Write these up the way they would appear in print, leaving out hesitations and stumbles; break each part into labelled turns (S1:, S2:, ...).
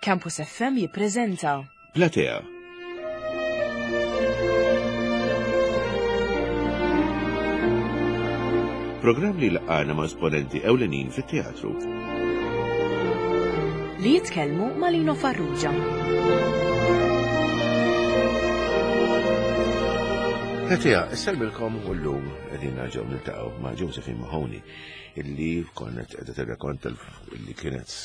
S1: Campus FM jippreżenta
S2: Platea. Programm li laqgħana ma' esponenti ewlenin fit-teatru.
S1: Li jitkellmu ma' Lino Farrugia.
S2: Platea, isselmilkom u llum qegħdin nerġgħu niltaqgħu ma' Josephine Mahoney illi konnet qiegħda tirrakonta illi kienet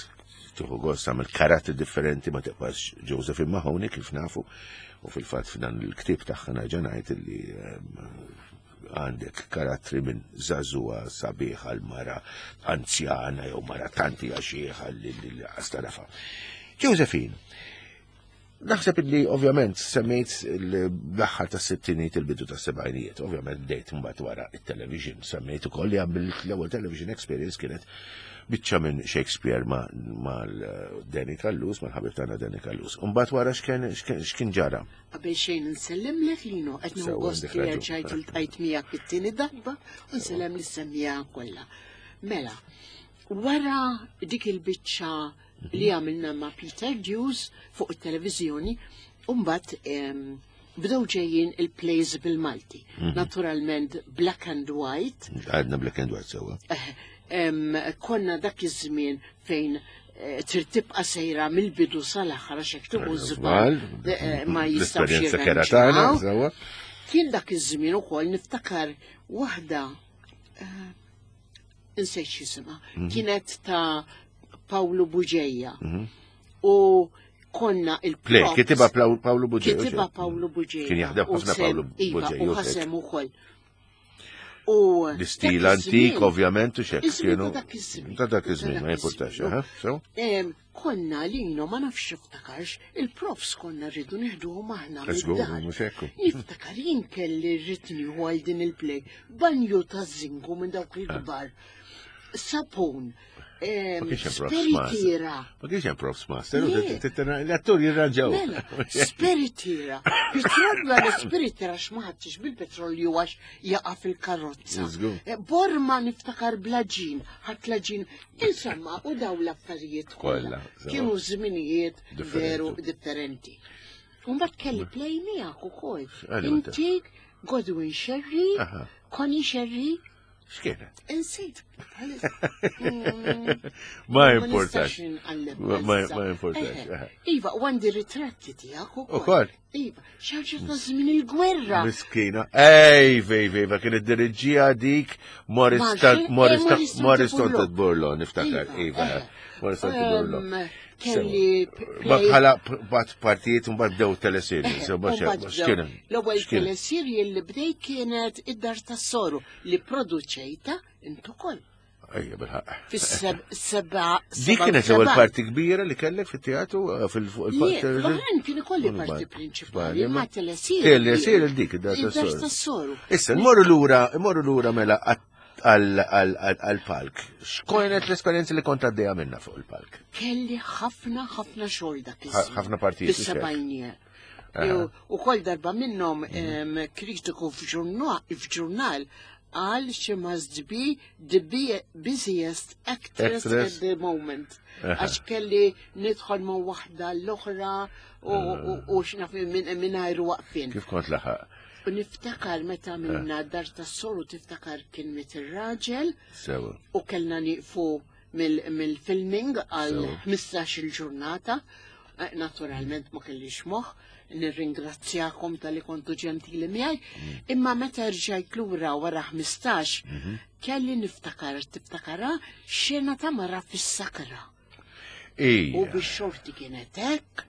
S2: tieħu gost tagħmel karattri differenti ma tibqax Josephine Mahoney kif nafu u fil-fatt f'dan il-ktieb tagħha nerġa' ngħid illi ehm, għandek karattri minn żagħżugħa sabiħa l-mara anzjana jew mara tanti għaxieħa li għastarafa. Josephine, Naħseb illi ovvjament semmejt l-aħħar tas sittinijiet il-bidu tas sebgħinijiet, ovvjament bdejt mbagħad wara it-television, semmejt ukoll li għamilt l-ewwel television experience kienet biċċa minn Shakespeare ma' Danny Callus, mal-ħabib tagħna Danny Callus. Mbagħad wara x'kien ġara.
S3: Qabel xejn nsellimlek Lino, qed nieħu gost li erġajt iltqajt miegħek it-tieni darba u nsellem lis-semmiegħa kollha. Mela, wara dik il-biċċa li għamilna ma' Peter Dews fuq it-televiżjoni, u mbagħad bdew ġejjin il-plays bil-Malti. Mhm. Naturalment black and white.
S2: Għadna black and white sewa.
S3: Eh, konna dak iż-żmien fejn eh, trid tibqa' sejra mill-bidu sal-aħħar għax hekk tieħu żball eh, ma jistgħux
S2: jirranġaw.
S3: Kien dak iż-żmien ukoll niftakar waħda insejt x'jisimha, mhm. kienet ta' Pawlu Buġeja. Mhm. U konna
S2: il-play. Kitiba Pawlu Buġeja.
S3: Kitiba Pawlu Buġeja.
S2: Kien jaħdem ħafna Pawlu
S3: iva,
S2: Buġeja.
S3: U ħasem ukoll.
S2: U l-istil antik, ovvjament, u xek. Kienu. Ta' dak iż-żmien, ma jimpurtax, eh,
S3: Konna lino ma nafx niftakarx, il-profs konna rridu nieħduhom aħna. Niftakar jien kelli rrid nieħu għal din il-play, banju ta' zinku minn dawk il-kbar, sapun, Spiritiera.
S2: Ma kienx hemm profs master, l-attur jirranġaw.
S3: Mela, spiritiera. Petrolju għal spiritiera x'maħadx bil-petrolju għax jaqa' fil-karozza. Eh, Borma niftakar blaġin, ħadd laġin. Insomma, u daw l-affarijiet kollha. Kienu żminijiet veru differenti. Mbagħad kelli play miegħek ukoll. Inti Godwin Sherry, Connie Sherry,
S2: X'kienet?
S3: Insejt.
S2: Ma importax. Ma importax. Eh,
S3: eh. Iva, u għandi ritratti tiegħek ukoll. Iva, xaġa ta' żmien il-gwerra.
S2: Miskina. Ej, vej, vej, ma kien id-diriġija dik Morris Morris Tonted Burlo, niftakar. Iva, iva Morris Tonted Burlo.
S3: Kelli.
S2: Ma bħala bat partijiet un bdew teleserji.
S3: L-ewwel teleserji li bdej kienet id-dar tas-soru li produċejta int ukoll.
S2: Ejja, bilħaq.
S3: Fis-seba.
S2: Dik kienet l-ewwel parti kbira li kellek fit-teatru eh, fil-parti.
S3: L-oħrajn kien ikolli parti prinċipali, ma telesir.
S2: Telesir dik id-dar
S3: tas-soru.
S2: Issa, nmorru lura, nmorru lura mela għal-palk. X'kienet l-esperjenza li kont għaddejja minna fuq il-palk?
S3: Kelli ħafna ħafna xogħol dak
S2: iż Ħafna partijiet.
S3: Fis-sebgħinijiet. U kol darba minnhom mhm. kritiku f'ġurnal qal she must be the busiest actress at the moment. Għax kelli nidħol ma' waħda l-oħra u x'naf mingħajr waqfien.
S2: Kif kont laħaq?
S3: U niftakar meta minna dar tas-soru tiftakar kien miet ir-raġel. U kellna nieqfu mill-filming għal 15 il-ġurnata. Eh, naturalment ma kellix moħ, nirringrazzjakom tal-li kontu ġentili miegħi, mm. imma meta rġajt lura wara 15, mhm. kelli niftakar, tiftakara xena ta' mara fis-sakra. U bix-xorti kienet hekk,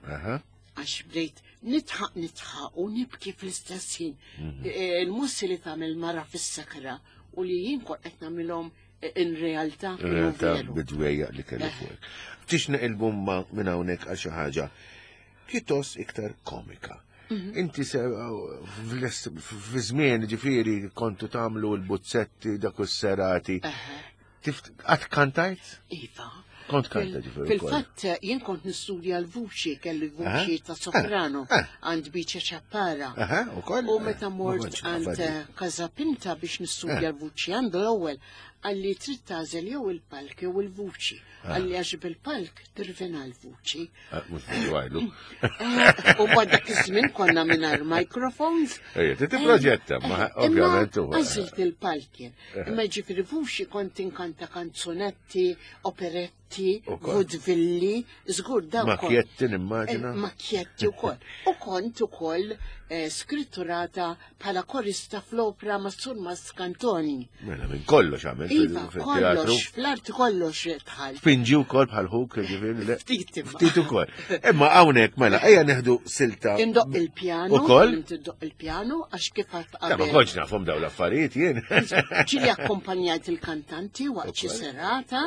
S3: għax bdejt nitħaq nitħaq u nibki fl-istess ħin. Mhm. Eh, il-mossi li tagħmel mara fis-sakra u li jien kont qed nagħmilhom in realtà.
S2: In realtà bidwejja li kelli eh. fuq. Tix neqilbu ma minn hawnhekk għal xi ħaġa pjuttost iktar komika. Mhm. Inti se fi żmien ġifieri kontu tagħmlu l-buzzetti dak is-serati. Għad kantajt?
S3: Iva.
S2: Kont kanta ġifieri.
S3: Fil-fatt jien kont nistudja l-vuċi, kelli vuċi ta' soprano għand Biċa Ċappara. U meta mort għand Casapinta biex nistudja l-vuċi għandu l-ewwel għalli trid tagħżel jew il-palk jew il-vuċi. Għalli għax bil-palk tirvina l-vuċi.
S2: Mhux għajlu.
S3: U bad dak iż-żmien konna mingħajr microphones.
S2: Ejja, titproġetta, ma ovvjament.
S3: Għażilt il-palk jien. Imma ġifieri vuċi kont inkanta kanzunetti, operetti, vudvilli, żgur
S2: dawk. Makjetti nimmaġina.
S3: Makjetti wkoll. U kont ukoll skritturata bħala korista fl-opra ma' Sur Mascantoni.
S2: Mela minn kollox għamel
S3: iva, kollox, fl-arti kollox tħall.
S2: Pinġi wkoll bħal ħuk, ġifieri.
S3: Ftit
S2: Ftit ukoll. Imma hawnhekk mela ejja neħdu silta.
S3: Indoq il-pjano. Ukoll? Indoq il-pjano għax kif għad
S2: qabel. Ma kontx nafhom dawn l-affarijiet jien.
S3: Ġieli akkompanjajt il-kantanti waqt xi serata.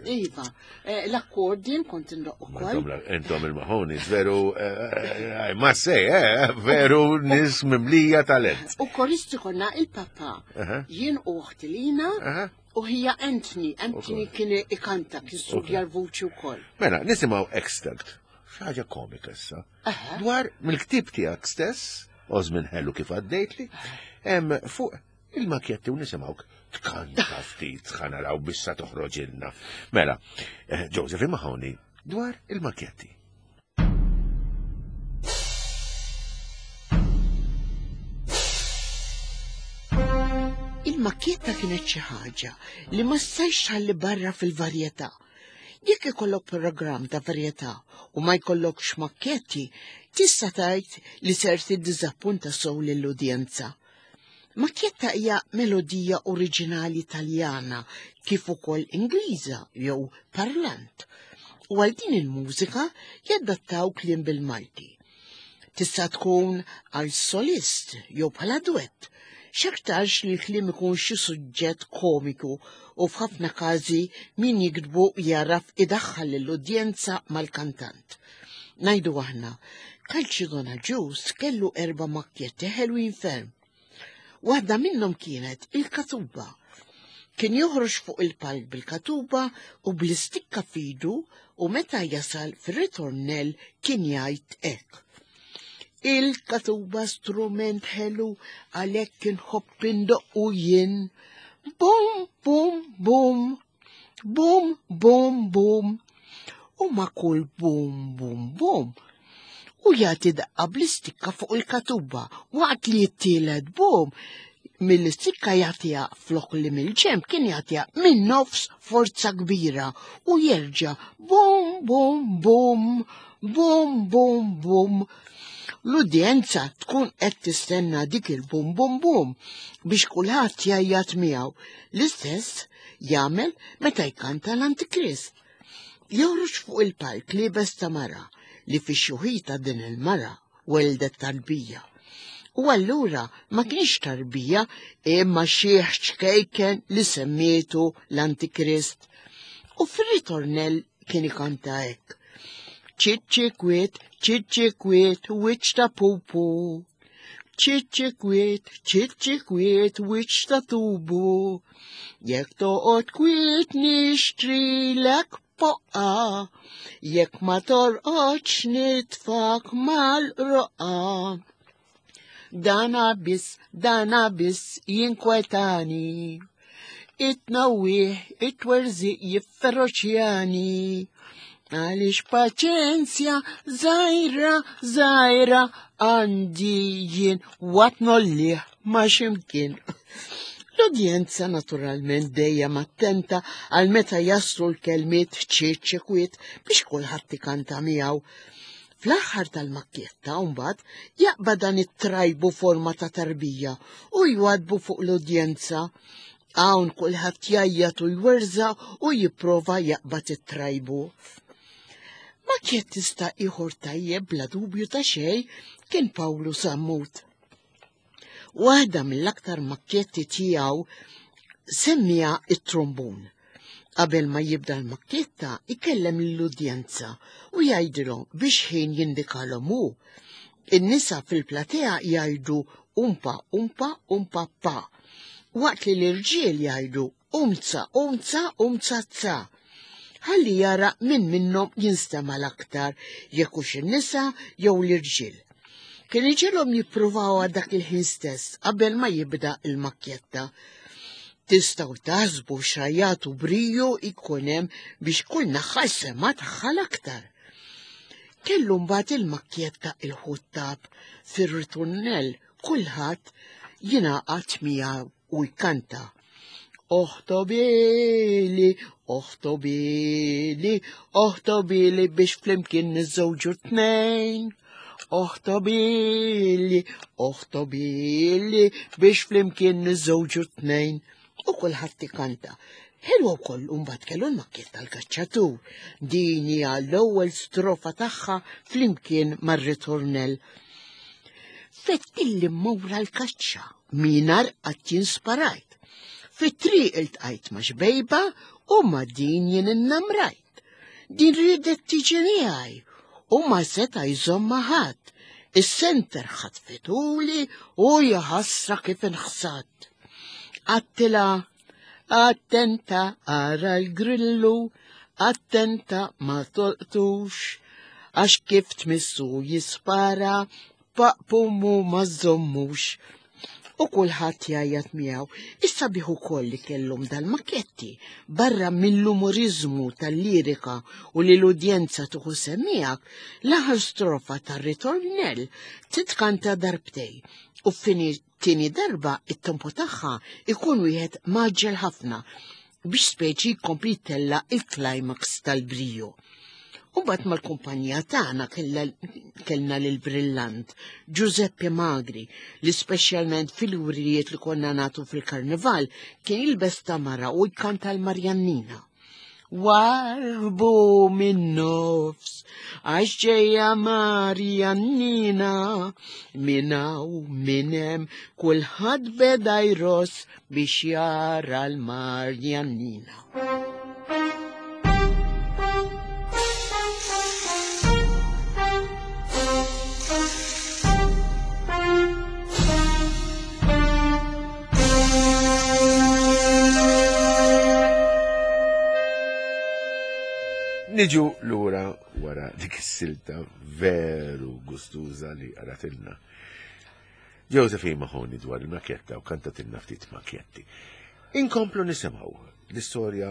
S3: Iva, eh, l-accordion kont indoq ukoll.
S2: Intom il-Mahonis, veru, eh, eh, ma sej, veru nis mimlija talent.
S3: U koristi konna il-papa, jien u uħti Lina, u hija Anthony, Anthony kien ikanta, kien studja l-vuċi wkoll.
S2: Mela, nisimgħu extract, xaġa komika issa, dwar mill-ktib tiegħek stess, Ożmin ħelu kif għaddejtli, fuq il-makjetti u nisimgħuk tkanta ftit ħa naraw biex sa toħroġilna. Mela, eh, Joseph Mahoney dwar il-makjetti.
S3: Il-makkjetta kienet xi ħaġa li ma stajx tħalli barra fil-varjetà. Jekk ikollok programm ta' varjetà u ma jkollokx makkjetti, tista' tgħid li ser tiddiżappunta sew lill-udjenza. Macchietta hija melodija oriġinali Taljana kif ukoll Ingliża jew parlant. U għal din il-mużika jadattaw kliem bil-Malti. Tista' tkun għal solist jew bħala duett. X'aktarx li l-kliem ikun xi suġġett komiku u f'ħafna każi min jiktbu jagħraf idaħħal lill-udjenza mal-kantant. Ngħidu aħna, Calcidona Juice kellu erba' makkjetti ħelwin ferm. Waħda minnhom kienet il-katuba. Kien joħroġ fuq il-palk bil-katuba u bl-istikka fidu u meta jasal fir-ritornell kien jgħid hekk. Il-katuba strument ħelu għalhekk inħobb indoqqu jien. Bum, bum, bum, Bum, bum, bum. U ma' kull bum, bum, bum. U jagħti daqqa bl-istikka fuq il-katuba waqt li jittielet bum mill-istikka jagħtiha flok li mill-ġemb kien jagħtiha minn nofs forza kbira u jerġa' bum bum bum bum bum bum. L-udjenza tkun qed tistenna dik il-bum bum bum biex kulħadd jgħajjat miegħu. L-istess jagħmel meta jkanta l-Antikrist. Joħroġ fuq il-palk liebes ta' mara li fix-xuħita din il-mara weldet tarbija. U allura ma kienx tarbija imma xieħ ċkejken li semmietu l-Antikrist. U fir-ritornell kien ikanta hekk. Ċiċċi kwiet, ċiċċi kwiet, wiċċ ta' pupu. Ċiċċi kwiet, ċiċċi kwiet, wiċċ ta' tubu. Jekk toqgħod kwiet nixtrilek poqqa, jekk ma torqodx nitfak mal-roqqa. Dana biss, dana biss jinkwetani. It-tnawwih, it-twerżiq jifferoċjani. Għaliex paċenzja żgħira żgħira għandi jien waqt nollih ma x'imkien. L-udjenza naturalment dejjem attenta għal meta jaslu l-kelmiet ċiċ kwiet biex kulħadd ikanta miegħu. Fl-aħħar tal-makkjetta mbagħad jaqba dan it-trajbu forma ta' tarbija u jwadbu fuq l-udjenza. Hawn kulħadd jgħajjat u jwerża u jipprova jaqbad it-trajbu. Makkjettista ieħor tajjeb bla dubju ta' xejn kien Pawlu Sammut. Waħda mill-aktar makkjetti tiegħu semmija it-trombun. Qabel ma jibda l-makkjetta ikellem lill-udjenza u jgħidilhom biex ħin jindikalhom hu. In-nisa fil-platea jgħidu umpa umpa umpa pa, waqt li l-irġiel jgħidu umza umza umza za. ħalli jara min minnhom jinstema' l-aktar jekk hux in-nisa jew l-irġiel. Kien iġilhom jippruvawha dak il-ħin stess qabel ma jibda il-makkjetta. Tistgħu taħsbu xajat u briju jkun hemm biex kull naħa sema tagħha l-aktar. Kellu mbagħad il-makkjetta il-ħuttab fir-ritornell kulħadd jingħaqad miegħu u jkanta. Oħtobili, oħtobili, oħtobili biex flimkien niżżewġu tnejn. Oħtobili, oħtobili biex flimkien niżżewġu tnejn. U kulħadd ikanta. Ħelwa wkoll mbagħad kellu l-makkiet tal-kaċċatur. Din hija l-ewwel strofa tagħha flimkien mar-ritornell. Fettilli mmur l-kaċċa minar qatt jien sparajt. Fit-triq iltqajt ma' xbejba u ma' din jien innamrajt. Din riedet tiġi miegħi u ma seta' jżomma ħadd. Is-senter ħatfituli u jaħasra kif inħsad. Għattila, attenta ara l-grillu, attenta ma tolqtux, għax kif tmissu jispara, paqpumu ma żommux. U kulħadd jgħajjat miegħu. Issa biħu ukoll li kellhom dal-maketti barra mill-umoriżmu tal-lirika u li l-udjenza tuħu semmijak, l-aħħar strofa tar-ritornell titkanta darbtej u fini tieni darba it-tempo tagħha ikun wieħed maġġel ħafna biex speċi jkompli tella il-climax tal-briju. U bat mal-kumpanija tagħna kellna lil Brillant, Giuseppe Magri, li speċjalment fil-wrijiet li konna nagħtu fil-karnival kien jilbes tamara u jkanta l-Marjannina. Warbu minn nofs, għax ġejja Marjannina, minn hawn minn hemm kulħadd beda jross biex jara l-Marjannina.
S2: Niġu lura wara dik is-silta veru gustuża li qratilna. Josephine Mahoney dwar il-makjetta u kantatilna ftit makjetti. Inkomplu nisimgħu l-istorja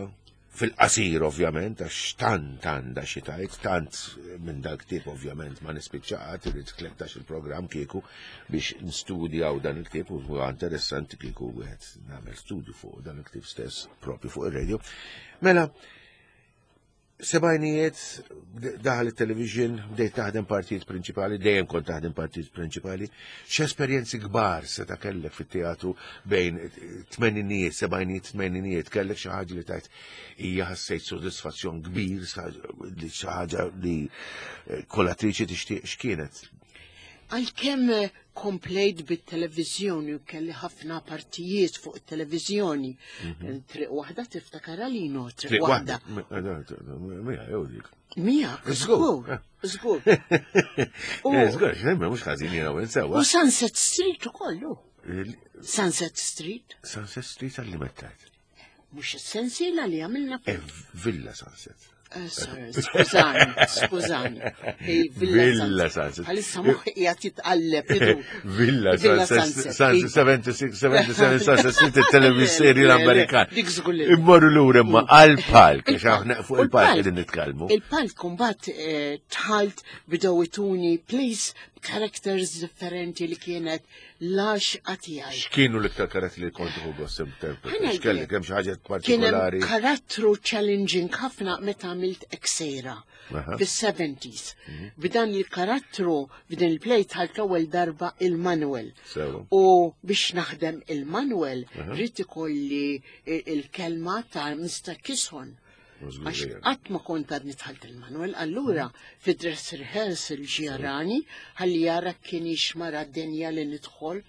S2: fil-qasir ovvjament, għax tant għandha xi tajt, tant minn dal-ktieb ovvjament ma nispiċċaqat, irid 13 il-programm kieku biex nistudjaw dan il-ktieb u huwa interessanti kieku wieħed nagħmel studju fuq dan il-ktieb stess propju fuq ir-radio. Mela, Sebajnijiet, daħal il-television, bdejt taħdem partijiet prinċipali, dejjem kont taħdem partijiet prinċipali. X'esperjenzi kbar se ta' kellek fit-teatru bejn tmeninijiet, sebajnijiet, tmeninijiet, kellek xi ħaġa li tajt hija ħassejt sodisfazzjon kbir, li xi ħaġa li eh, kolatriċi tixtieq x'kienet.
S3: Għalkemm eh, komplejt bit-televiżjoni u kelli ħafna partijiet fuq it-televiżjoni. Mhm. Triq waħda tiftakar għalino, triq waħda.
S2: Mija, jew dik.
S3: Mija, żgur, żgur.
S2: Eh, żgur, xejn mhux ħażin jiena u sewa.
S3: U Sunset Street ukollu. Sunset Street.
S2: Sunset Street għalli mettajt.
S3: Mhux is-sensiela li għamilna.
S2: Eh, Villa Sunset.
S3: Eh, skużani, skużani.
S2: Villa Sunset.
S3: Għalissa moħħi qiegħed jitqalleb.
S2: Villa Sunset. Sunset 76, 77 Sunset Street il-televiseri l-Amerikan.
S3: Dik żgur li.
S2: Immorru lura imma għal-palk, għax aħna fuq il-palk qegħdin nitkellmu.
S3: Il-palk kumbat eh, tħalt bidew ituni place characters differenti li kienet l-għaxqa tiegħi.
S2: X'kienu l-iktar karattri li kont tieħu gost interpreta? X'kellek hemm xi ħaġa partikolari?
S3: Kien karattru challenging ħafna meta għamilt Eksera fis-70s. Mhm. B'dan il-karattru, b'din il-play tħalt l-ewwel darba il-Manuel. U biex naħdem il-Manuel, rrid ikolli il-kelma ta' Mr. Kishon. Għax qatt ma kont għadni dħalt il-Manuel, allura fi dress rehearsal ġjarani ħalli jara kien mara d-dinja li nidħol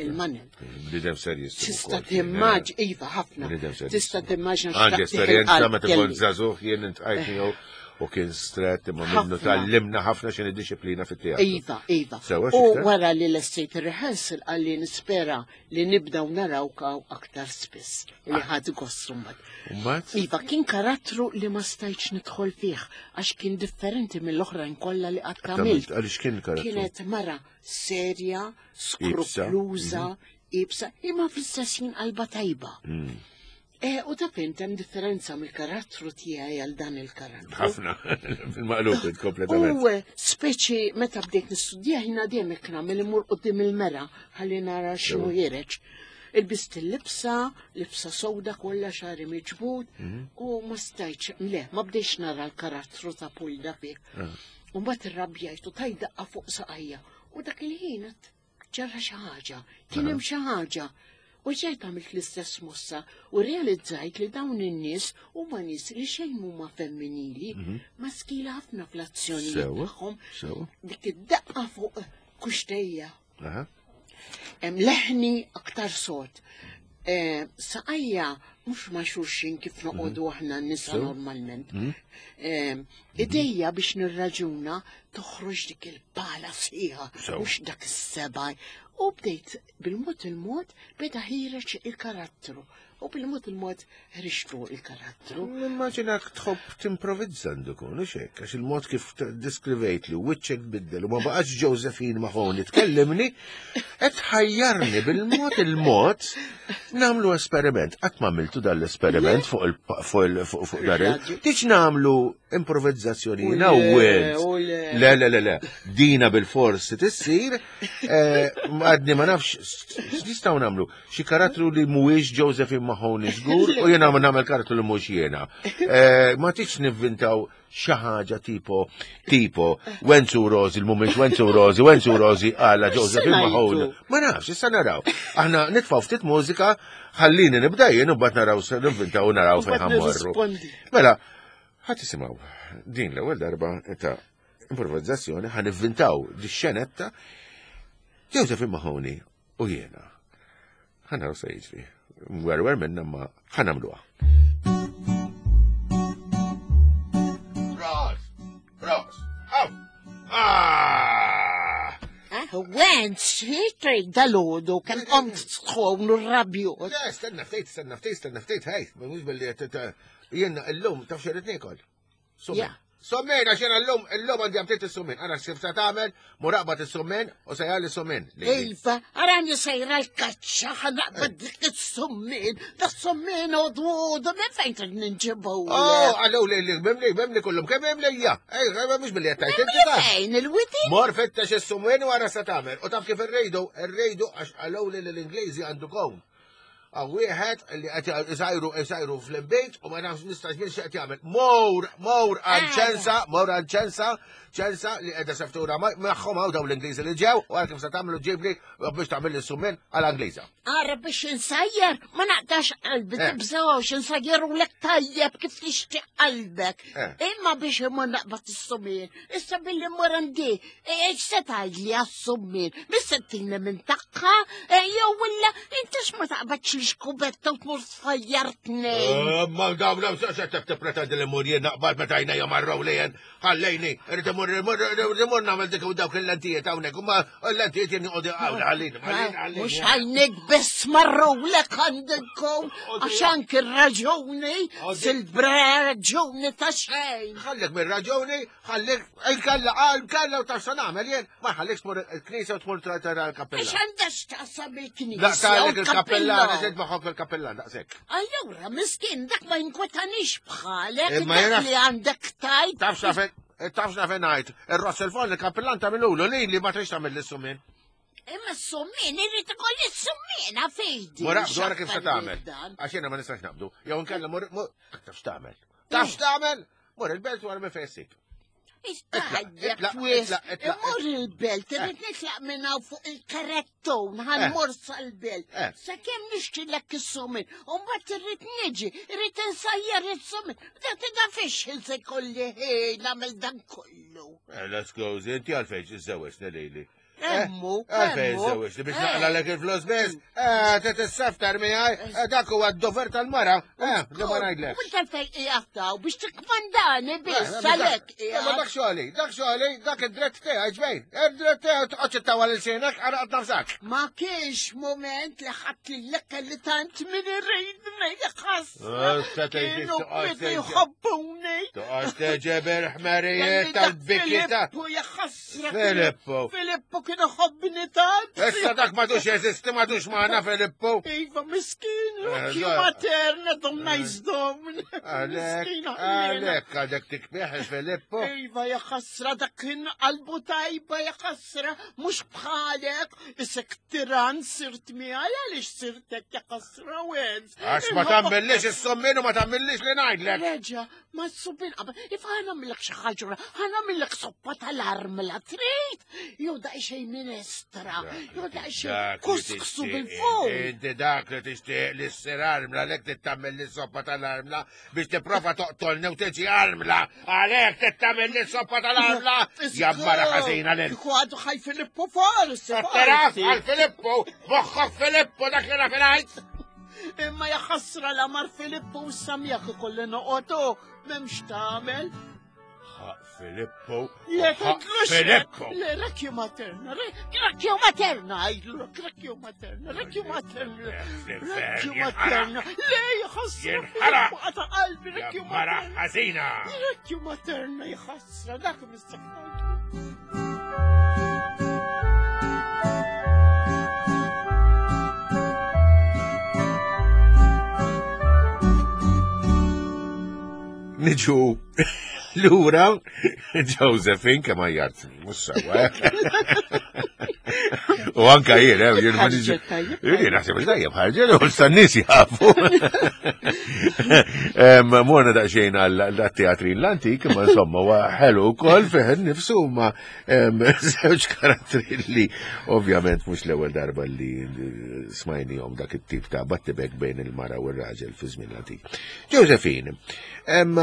S3: il-Manuel.
S2: Bnidem serjus.
S3: Tista' timmaġ, iva ħafna. Tista' timmaġna
S2: Għandi esperjenza meta kont żagħżugħ jien intqajt miegħu. u kien stret imma minnu tgħallimna ħafna x'inhi disciplina fit-teatru.
S3: Iva, iva. U wara li lestejt ir-rehearsal qalli nispera li nibdaw narawk aktar spiss li ah. ħadd gost
S2: mbagħad.
S3: Iva, kien karattru li ma stajtx nidħol fih għax kien differenti mill-oħrajn kollha li qatt għamilt.
S2: Għaliex kien karattru?
S3: Kienet mara serja, skrupluża, mhm. ibsa, imma fl-istess ħin qalba tajba. Mm. Eh, u ta' fint hemm differenza mill-karattru tiegħi għal dan il-karattru.
S2: Ħafna, fil-maqlub kompletament.
S3: U eh, speċi meta bdejt nistudja ħina dejjem hekk nagħmel imur qudiem il-mera ħalli nara x'inhu ħireġ. Ilbist il-libsa, libsa sewda kollha xagħri miġbud mhm. u ma stajtx, le, ma bdejx nara l-karattru ta' Pulda fih. Ah. U mbagħad irrabjajt u tajt daqqa fuq saqajja. U dak il-ħin ġara xi ħaġa, kien hemm xi ħaġa. U ġejt għamilt l-istess mossa u realizzajt li dawn in-nies huma nies li xejn huma femminili, mhm. maskili ħafna fl-azzjonijiet tagħhom. Dik id-daqqa fuq kuxtejja. Hemm leħni aktar sod. Eh, saqajja mhux ma' xulxin kif mhm. noqogħdu aħna n-nisa normalment. Mhm. Eh, idejja biex nirraġuna toħroġ dik il-pala sħiħa, mhux dak is-seba'. U bdejt bil-mod il-mod beda ħireġ il-karattru. U bil-mod il-mod ħriġtu il-karattru.
S2: Nimmaġinak tħobb timprovizza għandu kun, u xek, għax il-mod kif diskrivejt li wiċċek biddel u ma baqax Josephine Mahoney tkellimni, qed ħajjarni bil-mod il-mod namlu esperiment. Qatt ma għamiltu dan l-esperiment fuq il-fuq dar il. Tiġ namlu improvizzazzjoni jiena u Le, le, le, le. Dina bil-forsi tissir, eh, għadni ma nafx, x'nistgħu nagħmlu? Xi karattru li mhuwiex Josephine Mahoney żgur u jiena ma nagħmel karattru li mhux jiena. Eh, ma tix nivvintaw xi ħaġa tipo tipo Wenzu Rosi, l-mumiex Wenzu Rosi, Wenzu Rosi għala Josephine Mahoney. Ma nafx, issa naraw. Aħna nitfgħu ftit mużika, ħallini nibda jien u mbagħad naraw se nivvintaw u naraw fejn ħammorru. Mela, ħadd isimgħu din l-ewwel darba ta' improvizzazzjoni ħan nivvintaw di xenetta Josephine Mahoney U jiena. Ħa naraw se jiġri. Werwer minna ma ħa nagħmluha. Ros! Ros! Aw! Ah!
S3: Wen, xitri dal-ħodu, kem qomt sħon u rabju.
S2: Le, stenna ftejt, stenna ftejt, stenna ftejt, hej, mux billi jenna illum taf xerrit nikol. Summin. Summin, għax jena l-lum, l-lum għandi għamtiet is-summin. Għana xif sa tagħmel, muraqba is-summin u sejja li summin.
S3: Iva, għarani sejra l-kaċċa ħanaqbad dik is-summin. Da summin u d-wudu, minn fejn trid ninġibu.
S2: Oh, għallu li li bimli, bimli kullum, kemm hemm lejja. Ej, mhux billi qed tgħid
S3: inti taf. Fejn il-widi?
S2: Mor fittex is-summin u għara sa tagħmel. U taf kif irridu, irridu għax għallu li l-Ingliżi għandu kon. Għaw wieħed li qed isajru isajru fl-imbejt u ma nafx nistax minn x'qed jagħmel. Mor, mor għal ah. ċensa, mor għal ċensa, ċensa li qiegħda seftura magħhom hawn dawn l-Ingliżi li ġew u għal kif se tagħmlu ġibli biex tagħmel is-summin għal Ingliża.
S3: Ara biex insajjar ma naqtax qalbi eh. tibżgħux insajjar u lek tajjeb kif tixtieq qalbek. Eh. Imma biex imur naqbad is-summin, issa billi mor għandi Ex se tgħidli għas-summin, mis-settina minn tagħha, e, jew illa inti ma taqbadx l-xkubetta u tmur tfajjar tnejn.
S2: Eh, ma dawn law se se tippretendi li mur jien naqbad meta għajnejja marraw lejn, ħallejni, irid imur irid imur nagħmel dik u dawk il-lentijiet hawnhekk, u ma l-lentijiet jien joqogħdu hawn ħallini, ħallini, ħallini.
S3: Mhux għajnek biss marrulek għandkom għax anki r-raġuni sil-raġuni ta' xejn.
S2: Ħallek mir-raġuni, Ħallik, il-kella, għal-kella u taf nagħmel jien, ma ħallikx tmur il-knisja u tmur tara l-kappella.
S3: Għax għandha x'taqsam il-knisja.
S2: Daqs il-kappellan, eżed maħok il-kappellan, daqshekk.
S3: Allura, miskin, dak ma jinkwetanix bħalek, dak li għandek tajt.
S2: Taf x'nafen, taf x'nafen ngħid, ir-ross il-fon il-kappellan tagħmilulu li li ma trix tagħmel l-issumin.
S3: Imma s-summin, irrid ikolli s-summina fejdi.
S2: Mura, dwar kif se tagħmel. Għax jiena ma nistax naqbdu. Jew inkella mur, taf x'tagħmel. Taf x'tagħmel? Mur il-belt wara minn fejn ssib.
S3: Mur il-belt, irrid nitlaq minn hawn fuq il-karettun, ħanmur eh. sal-belt. Eh. Sakemm nixtrilek is-sumin, u mbagħad irrid niġi, irrid insajjar is-sumin. Da tida fiex se kolli ħin nagħmel dan kollu.
S2: Eh, let's go, inti għalfejn iżżewweġ lili.
S3: Emmu,
S2: Għalfejn żewġ biex naqla lek il-flus biss, titissaftar miegħi, dak huwa d-dover tal-mara, li ma ngħidlek.
S3: Mhux għalfejn qiegħed biex tikkmandani biss għalhekk
S2: qiegħed. Ma dak xogħli, dak xogħli, dak id-dritt tiegħi ġbejn. Id-dritt tiegħi toqgħodx ittawal il-sienek għaraqt nafsak.
S3: Ma kienx moment li ħadd lilek li tant min iridni ħass. Kienu bidu jħobbuni.
S2: Toqgħodx teġeber ħmerijiet tal-bikita.
S3: Filippu jaħasra.
S2: Filippo.
S3: Filippo kien iħobbni tant.
S2: Issa dak madux jeżisti madux magħna Filippo.
S3: Iva miskin, kien materna dom nice dom.
S2: Għalek, għalek, għadek tikbieħ il-Filippo.
S3: Iva ja ħasra dak kien qalbu tajba ja ħasra, mhux bħalek, isek tiran sirt miegħi għaliex sirtek ja ħasra wenz.
S2: Għax ma tagħmillix is-sommin u ma tagħmillix li ngħidlek.
S3: Reġa, Ma s-suppin qabel, if ħana millek xi ħaġa, ħana millek soppa tal-armla trid, jew daqsxejn minestra, jew daqsxejn kusksu bil-fuq.
S2: Inti dak li tixtieq li ssir armla lek tittamel li soppa tal-armla biex tipprova toqtolni u tiġi armla, għalhekk tittamel li soppa tal-armla. Jammara ħażina lil.
S3: Kieku għadu ħaj Filippo forsi.
S2: Taraf għal Filippo, moħħok Filippo dak li naf il
S3: Imma jaħasra la mar Filippo u samjak ikolli noqogħdu m'hemmx tagħmel.
S2: Ħaq Filippo.
S3: Le tgħidlux.
S2: Filippo.
S3: Le rekju materna, rekju materna għidlu, rekju materna, rekju materna. Rekju materna. Le jaħasra.
S2: Jinħaraq.
S3: Għata qalbi rekju
S2: Mara
S3: materna.
S2: ħażina.
S3: Rekju materna jaħasra dak mistakħajtu.
S2: Niġu lura Josephine kemm għajjart, mhux sewwa. eh? U anka jien, eh, jien ma niġi.
S3: Ħarġet tajjeb.
S2: Jien naħseb li tajjeb ħarġet, u s-nies jafu. Em, Morna daqsxejn għal-teatrin l-antik, ma insomma, huwa ħelu wkoll fih innifsu ma em, żewġ karattri li ovvjament mhux l-ewwel darba li smajnihom dak it-tip ta' battibek bejn il-mara u r-raġel fi żmien l-antik. Josephine, em,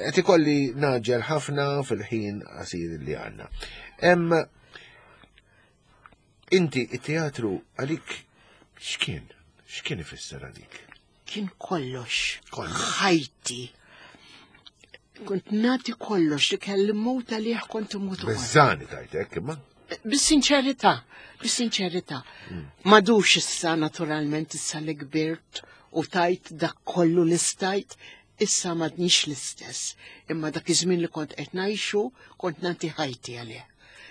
S2: qed ikolli naġġel ħafna fil-ħin qasir li għandna. Em, Inti it-teatru għalik x'kien? X'kien ifisser għalik?
S3: Kien kollox.
S2: Kollox.
S3: Ħajti. Kont nati kollox li kelli mut għalih kont imut ukoll.
S2: Bezzani tajtek, imma?
S3: Bis-sinċerità, bis-sinċerità. Madux issa naturalment issa li kbirt u tajt dak kollu li stajt, issa madnix l-istess. Imma dak iż-żmien li kont qed ngħixu, kont nagħti ħajti għalih.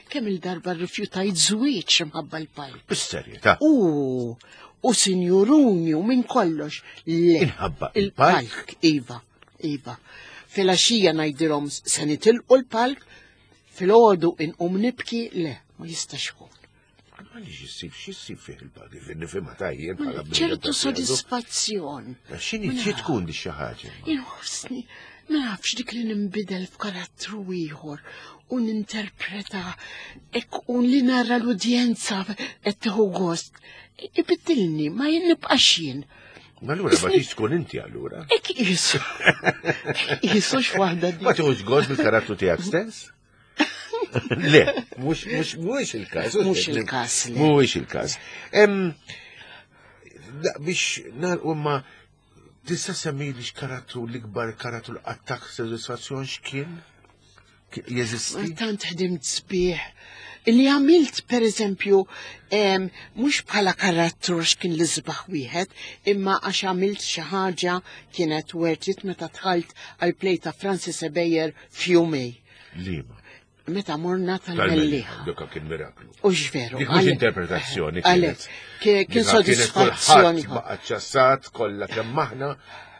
S3: Kemm il-darba rrifjutajt żwieġ imħabba l-palk.
S2: Bis-serjetà.
S3: U, u sinjuruni u minn kollox. Le.
S2: Inħabba il-palk?
S3: Il-palk, iva, iva. Filgħaxija ngħidilhom se nitilqu l-palk, filgħodu inqum nibki, le, ma jistax ikun.
S2: Ma li xissib, xissib fih il-palk, nifhimha tajjeb bħala bniedem
S3: ċertu
S2: ta' teatru.
S3: sodisfazzjon.
S2: X'inhi xi tkun di xi ħaġa?
S3: Inħossni, ma nafx dik li ninbidel f'karattru ieħor u ninterpreta hekk u li nara l-udjenza qed tieħu gost. Ibiddilni, ma jien nibqax jien.
S2: Ma allura ma tix tkun inti allura.
S3: Ek jisu. Jisu x'waħda di.
S2: Ma tieħux gost bil-karattru tiegħek stess? Le, mhux mhux mhuwiex il-każ.
S3: Mhux il-każ, le.
S2: Mhuwiex il-każ. Em, da- Biex nagħlqu ma tista' semmi li x'karattru l-ikbar karattru l attak sodisfazzjon x'kien? Ki- Jeżisti?
S3: Tant ħdimt sbieħ. Li għamilt, per eżempju, em, mhux bħala karattru x'kien li sbaħ wieħed, imma għax għamilt xi ħaġa kienet worth it meta dħalt għal play ta' Francis Ebejer f'Jumej.
S2: Lima.
S3: Meta morna tal-Mellieħa.
S2: Dak kien miraklu.
S3: U x'veru.
S2: Dik mhux
S3: għalek-
S2: interpretazzjoni
S3: Għalek,
S2: kienet.
S3: kien
S2: Dik kienet
S3: sodisfazzjoni.
S2: kulħadd baqa' ċassat kollha kemm aħna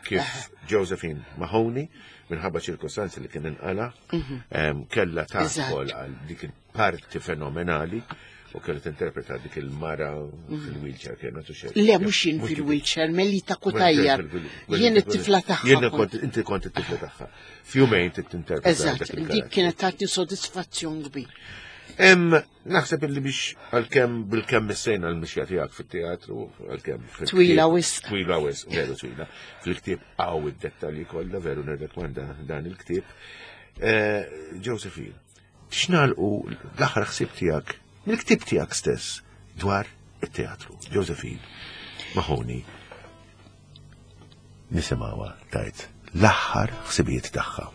S2: kif Josephine Mahoney minħabba ċirkostanzi li kien inqala kellha tadħol
S3: Eżatt.
S2: għal dik il-parti fenomenali u kellha tinterpreta dik il-mara fil-wheelchair kienet u xejn.
S3: Le, mhux jien fil-wheelchair, Melita Kutajjar. Jien it-tifla tagħha.
S2: Jien
S3: kont.
S2: kont inti kont it-tifla tagħha. Fjumejn tinterpreta.
S3: Eżatt,
S2: dak
S3: dik
S2: il-karattru.
S3: kienet tagħti sodisfazzjon kbir.
S2: Em, naħseb illi biex għal-kem bil-kem missejna l-mixja tiegħek fit-teatru, għal-kem fil-ktieb-
S3: Twila wisq.
S2: Twila wisq, veru twila. Fil-ktieb għaw id-dettalji kollha, veru nirrekomanda dan il-ktieb. Eh, Josephine, x'nalqu l-aħħar ħsieb tiegħek mill-ktieb tiegħek stess dwar it-teatru. Josephine Mahoney nisimgħuha tgħid l-aħħar ħsibijiet tagħha.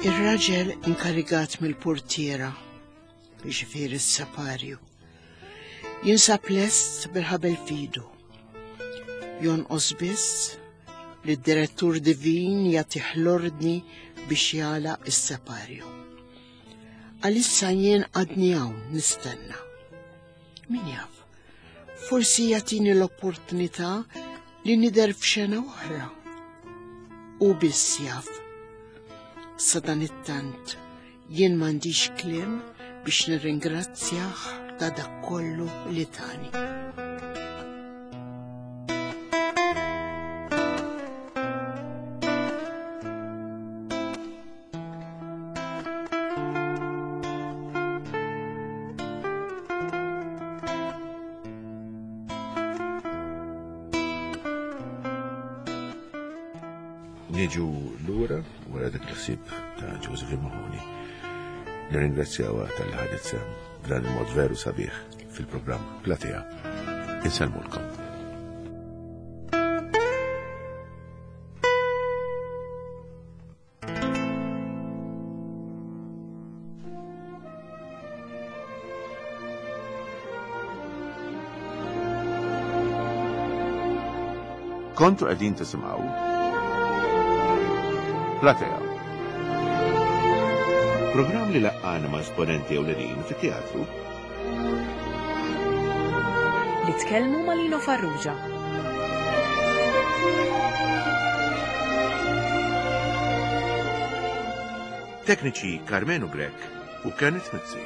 S3: Ir-raġel inkarigat mill-portiera, jiġifieri s-saparju, jinsab lest bil-ħabel fidu. Jonqos biss li d-direttur divin jagħtih l-ordni biex jagħlaq is-separju. Għalissa jien għadni hawn nistenna. Min jaf, forsi jagħtini l-opportunità li nidher f'xena oħra. U biss jaf. Sadanittant jien m'għandix kliem biex nirringrazzjah ta' dak kollu li tani.
S2: Niġu lura wara dak il-ħsieb ta' Josephine Mahoney. Nirringrazzjawha tal-li ħadet sehem b'dan il-mod veru sabiħ fil-programm Platea. Insellmulkom. Kontu qegħdin tisimgħu Platea. Programm li laqqana ma' esponenti ewlenin fit-teatru.
S1: Li tkellmu ma' Lino Farrugia.
S2: Tekniċi Karmenu Grech u Kenneth Mizzi.